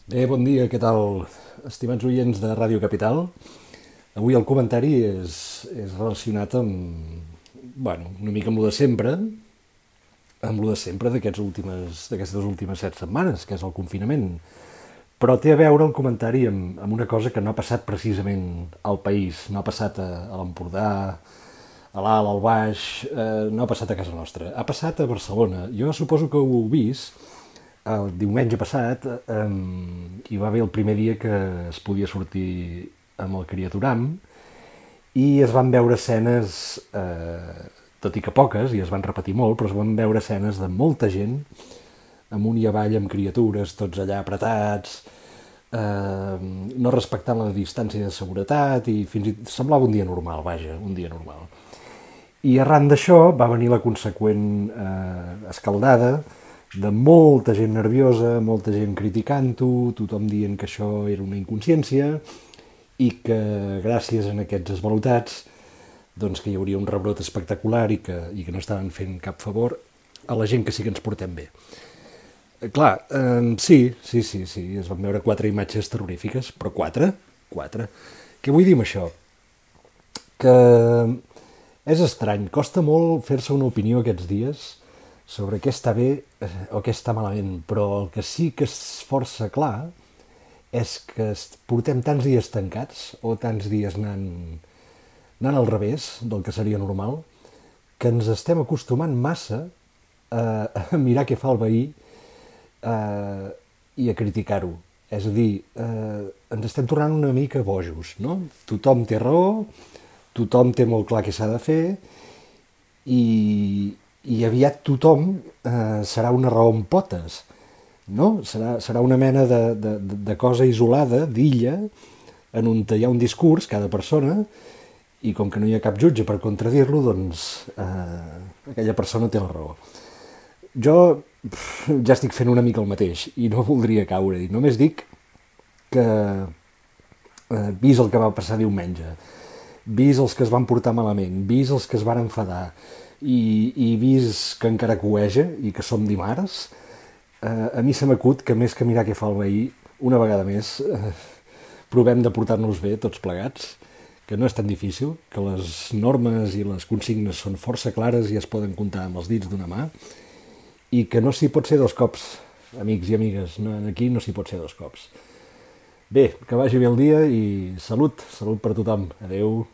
Bon dia, què tal, estimats oients de Ràdio Capital? Avui el comentari és relacionat una mica amb lo de sempre, d'aquestes últimes 7 setmanes, que és el confinament. Però té a veure el comentari amb una cosa que no ha passat precisament al país, no ha passat a l'Empordà, a l'Alt, al Baix, no ha passat a casa nostra, ha passat a Barcelona. Jo suposo que ho heu vist, el diumenge passat hi va haver el primer dia que es podia sortir amb el criaturam i es van veure escenes, tot i que poques, i es van repetir molt, però es van veure escenes de molta gent amunt i avall amb criatures, tots allà apretats, no respectant la distància de seguretat i fins i tot semblava un dia normal, vaja, un dia normal. I arran d'això va venir la conseqüent escaldada de molta gent nerviosa, molta gent criticant-ho, tothom dient que això era una inconsciència i que gràcies a aquests esvalotats doncs que hi hauria un rebrot espectacular i que no estaven fent cap favor a la gent que sí que ens portem bé. Clar, sí, es van veure 4 imatges terrorífiques, però 4? 4. Què vull dir amb això? Que és estrany, costa molt fer-se una opinió aquests dies sobre què està bé o què està malament, però el que sí que és força clar és que portem tants dies tancats o tants dies anant al revés del que seria normal que ens estem acostumant massa a mirar què fa el veí i a criticar-ho. És a dir, ens estem tornant una mica bojos, no? Tothom té raó, tothom té molt clar què s'ha de fer i aviat tothom serà una raó amb potes, no? Serà una mena de cosa isolada, d'illa, en on hi ha un discurs, cada persona, i com que no hi ha cap jutge per contradir-lo, doncs aquella persona té la raó. Jo ja estic fent una mica el mateix i no voldria caure-hi. Només dic que, vist el que va passar diumenge, vist els que es van portar malament, vist els que es van enfadar i vist que encara cueja i que som dimarts, a mi se m'acut que més que mirar què fa el veí, una vegada més, provem de portar-nos bé tots plegats, que no és tan difícil, que les normes i les consignes són força clares i es poden comptar amb els dits d'una mà, i que no s'hi pot ser dos cops, amics i amigues, aquí no s'hi pot ser dos cops. Bé, que vagi bé el dia i salut per tothom. Adeu.